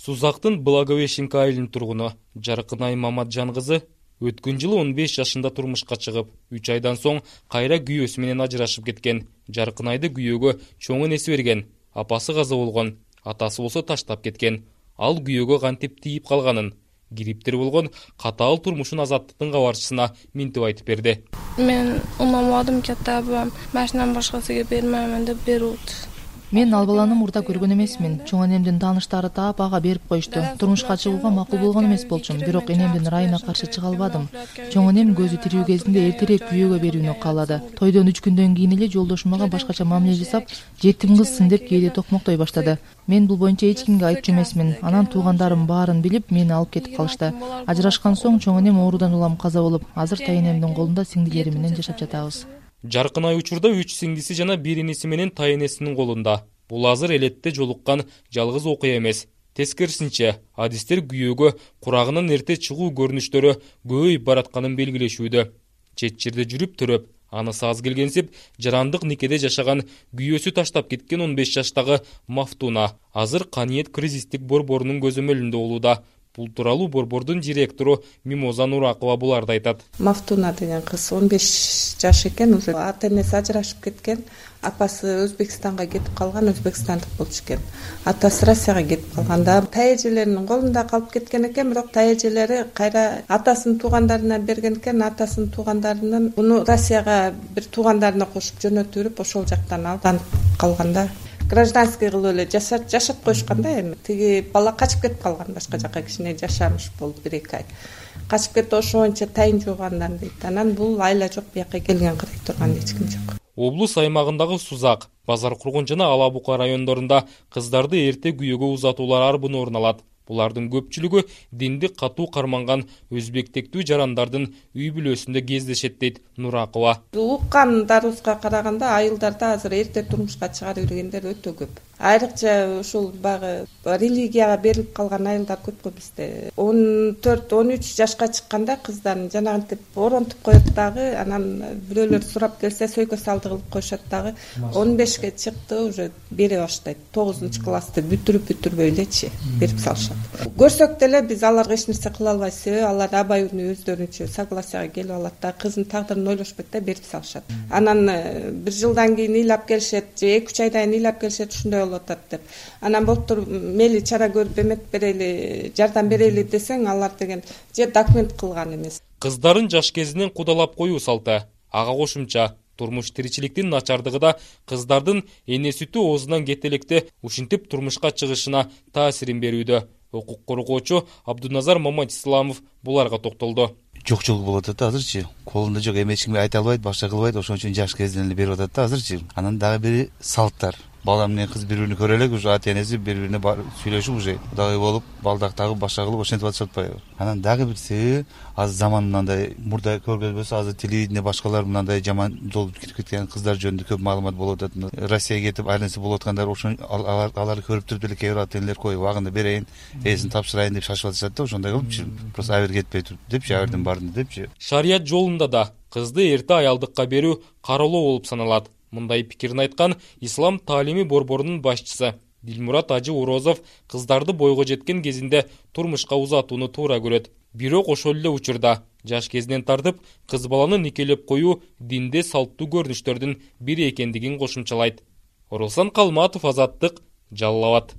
Сузактын Благовещенка айылынын тургуну Жаркынай Маматжан кызы өткөн жылы 15 жашында турмушка чыгып, 3 айдан соң кайра күйөөсү менен ажырашып кеткен. Жаркынайды күйөөгө чоң энеси берген. Апасы каза болгон, атасы болсо таштап кеткен. Ал күйөөгө кантип тийип калганын, кириптер болгон катаал турмушун азаттыктын кабарчысына минтип айтып берди. Мен унамадым кетти, абам машинаны башкасыга бермеймин деп берди. Мен ал баланы мурда көргөн эмесмин. Чоң энемдин тааныштары таап ага берип койушту. Турмушка чыгууга макул болгон эмес болчумун, бирок энемдин ырайына каршы чыга албадым. Чоң энем көзү тирүү кезинде эртерээк күйөөгө берүүнү каалады. Тойдон 3 күндөн кийин эле жолдошум мага башкача мамиле жасап, жетим кызсың деп кээде токмоктой баштады. Мен бул боюнча эч кимге айтчу эмесмин. Анан туугандарым баарын билип, мени алып кетип калышты. Ажырашкан соң чоң энем оорудан улам каза болуп, азыр тайэнемдин колунда сиңдилери менен жашап жатабыз. Жаркынай учурда 3 сиңдиси жана 1 иниси менен тайэнесинин колунда. Бул азыр элетте жолуккан жалгыз окуя эмес. Тескерисинче, адистер күйөөгө курагынан эрте чыгуу көрүнүштөрү көбөйүп баратканын белгилешүүдө. Чет жерде жүрүп төрөп, анысы аз келгенсип, жарандык никеде жашаган күйөөсү таштап кеткен 15 жаштагы Мафтуна азыр Каниет кризистик борборунун көзөмөлүндө болууда. Бул тууралуу борбордун директору Мимоза Нуракова буларды айтат. Мафтуна деген кыз 15 жаш экен, уже ата-энеси ажырашып кеткен. Апасы Өзбекстанга кетип калган, өзбекстандык болчу экен. Атасы Россияга кетип калганда тайэжелеринин колунда калып кеткен экен, бирок тайэжелери кайра атасынын туугандарына берген экен. Атасынын туугандарынын буну Россияга бир туугандарына кошуп жөнөтүп, ошол жактан алданып калганда гражданский кылып эле жашап коюшкан да. Эми тиги бала качып кетип калган, башка жака кичине жашамыш болуп 1-2 ай. Качып кетти, ошо боюнча тайын жуугандан дейт. Анан бул айла жок, бияка келген кырый турган эч ким жок. Облус аймагындагы Сузак, Базар Кургон жана Ала Бука райондорунда кыздарды эрте күйөөгө узатуулар арбын орун алат. Булардын көпчүлүгү диндик катуу карманган өзбектектүү жарандардын үй бүлөсүндө кездешет дейт Нуракова. Уккандарыбызга караганда айылдарда азыр эрте турмушка чыгарып жүргөндөр өтө көп. Айрыкча ушул багы религияга берилип калган айылдар көп го бизде. 14-13 жашка чыкканда кыздарын жанагынтип оронтуп коет дагы, анан бирөөлөр сурап келсе сөйкө салды кылып коюшат дагы. 15ке чыкты, уже бере баштайт. 9-классты бүтүрүп-бүтүрбөй элечи берип салышат. Көрсөк деле биз аларга эч нерсе кыла албайбыз, себеби алар абай үнү өздөрүнчө согласияга келип алат да, кыздын тагдырын ойлошпойт да, берип салышат. Анан бир жылдан кийин ыйлап келишет, же 2-3 айдан кийин ыйлап келишет, ушундай болуп атат деп. Анан болуптур мейли чара көрүп эмет берели, жардам берели десең, алар деген же документ кылган эмес. Кыздарын жаш кезинен кудалап коюу салты. Ага кошумча, турмуш тиричиликтин начардыгы да кыздардын эне сүтү оозунан кетелекте ушинтип турмушка чыгышына таасирин берүүдө. Укук коргоочу Абдуназар Маматисламов буларга токтолду. Жок болуп атат азырчы. Колунда жок, эми эч кимге айта албайт, башка кылбайт, ошон үчүн жаш кезинен эле берип атат да азырчы. Анан дагы бири салттар. Бала менен кыз бири-бирин көрө элек, уже ата-энеси бири-бирине сүйлөшүп, уже кудагый болуп, балдактагы башка кылып ошентип атышат атпайбы. Анан дагы бир себеби азыр заман мындай, мурда көргөнбөсө азыр телевидение башкалар мындай жаман жолго кирип кеткен кыздар жөнүндө көп маалымат болуп атат. Россияга кетип айланса болуп аткандар, ошон аларды көрүп туруп эле кээ бир ата-энелер коюп убагында берейин, эсин тапшырайын деп шашып атышат да, ошондой кылыпчы. Просто абер кетпей туруп депчи, аберден бардым депчи. Шарият жолунда да кызды эрте аялдыкка берүү кароолоо болуп саналат. Мындай пикирин айткан Ислам таалими борборунун башчысы Дилмурат Ажы Урозов кыздарды бойго жеткен кезинде турмушка узатууну туура көрөт. Бирок ошол эле учурда жаш кезинен тартып кыз баланы никелеп коюу динде салттуу көрүнүштөрдүн бири экендигин кошумчалайт. Оралсан Калматов, Азаттык, Жалал Абад.